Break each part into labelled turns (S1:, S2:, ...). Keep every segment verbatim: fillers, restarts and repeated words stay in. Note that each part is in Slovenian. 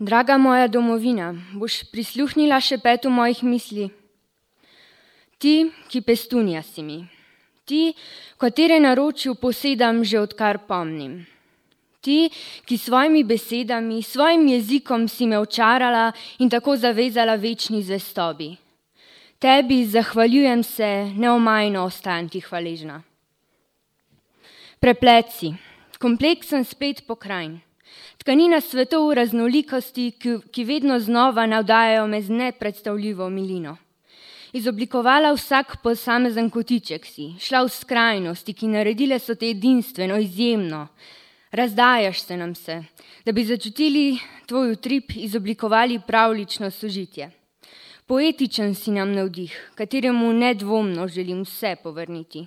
S1: Draga moja domovina, boš prisluhnila šepetu mojih misli? Ti, ki pestunja si mi, ti, katere naročju posedam že odkar pomnim. Ti, ki svojimi besedami, svojim jezikom si me očarala in tako zavezala večni zvestobi. Tebi zahvaljujem se, neomajno ostajam ti hvaležna. Preplet si, kompleksen splet pokrajin, tkanina svetov v raznolikosti, ki, ki vedno znova navdajajo me z nepredstavljivo milino. Izoblikovala vsak posamezen kotiček si, šla v skrajnosti, ki naredile so te edinstveno, izjemno. Razdajaš se nam se, da bi začutili tvoj utrip, izoblikovali pravlično sožitje. Poetičen si nam navdih, kateremu nedvomno želim vse povrniti.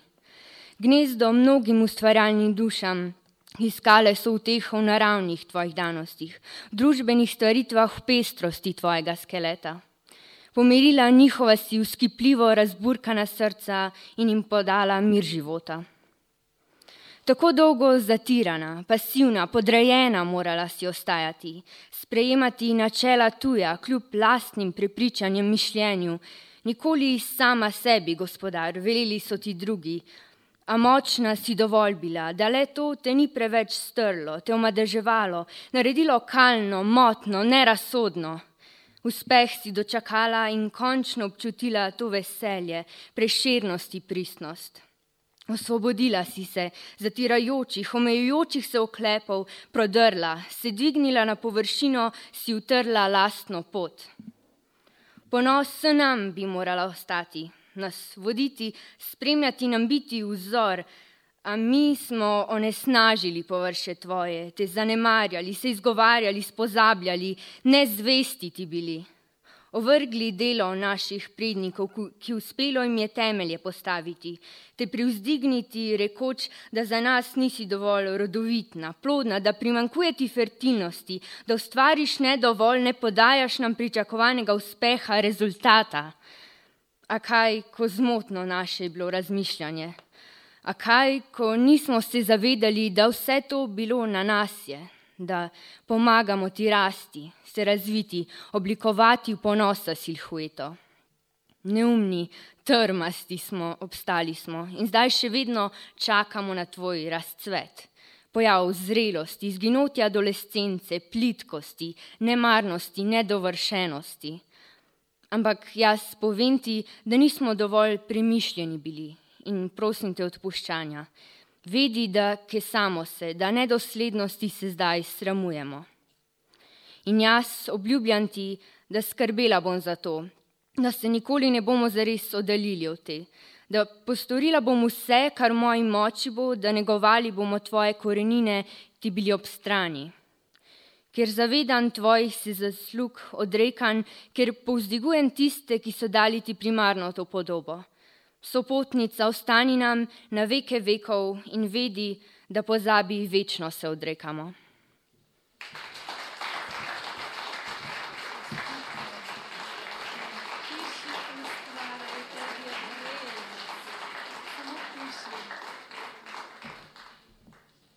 S1: Gnezdo mnogim ustvarjalnim dušam, iskale so uteho v naravnih tvojih danostih, v družbenih stvaritvah, v pestrosti tvojega skeleta. Pomirila njihova si vzkipljivo razburkana srca in jim podala mir života. Tako dolgo zatirana, pasivna, podrejena morala si ostajati, sprejemati načela tuja, kljub lastnim prepričanjem, mišljenju. Nikoli sama sebi, gospodar, veleli so ti drugi, a močna si dovolj bila, da le to te ni preveč strlo, te omadeževalo, naredilo kalno, motno, nerazsodno. Uspeh si dočakala in končno občutila to veselje, prešernost in pristnost. Osvobodila si se zatirajočih, omejujočih se oklepov, prodrla, se dvignila na površino, si utrla lastno pot. Ponos se nam bi morala ostati, nas voditi, spremljati nam biti vzor, a mi smo onesnažili površe tvoje, te zanemarjali, se izgovarjali, spozabljali, nezvesti ti bili. Ovrgli delo naših prednikov, ki uspelo jim je temelje postaviti, te privzdigniti, rekoč, da za nas nisi dovolj rodovitna, plodna, da primanjkuje ti fertilnosti, da ustvariš ne dovolj, ne podajaš nam pričakovanega uspeha, rezultata. A kaj, ko zmotno naše je bilo razmišljanje? A kaj, ko nismo se zavedali, da vse to bilo na nas je, da pomagamo ti rasti, se razviti, oblikovati v ponosa silhueto. Neumni, trmasti smo, obstali smo in zdaj še vedno čakamo na tvoj razcvet. Pojav zrelosti, izginotja adolescence, plitkosti, nemarnosti, nedovršenosti. Ampak jaz povem ti, da nismo dovolj premišljeni bili in prosim te odpuščanja. Vedi, da kesamo se, da nedoslednosti se zdaj sramujemo. In jaz obljubljam ti, da skrbela bom za to, da se nikoli ne bomo zares oddaljili od te, da postorila bom vse, kar v moji moči bo, da negovali bomo tvoje korenine, ti bili ob strani. Ker zavedan tvojih se zaslug odrekan, ker povzdigujem tiste, ki so dali ti primarno to podobo. Sopotnica, ostani nam na veke vekov in vedi, da pozabi večno se odrekamo.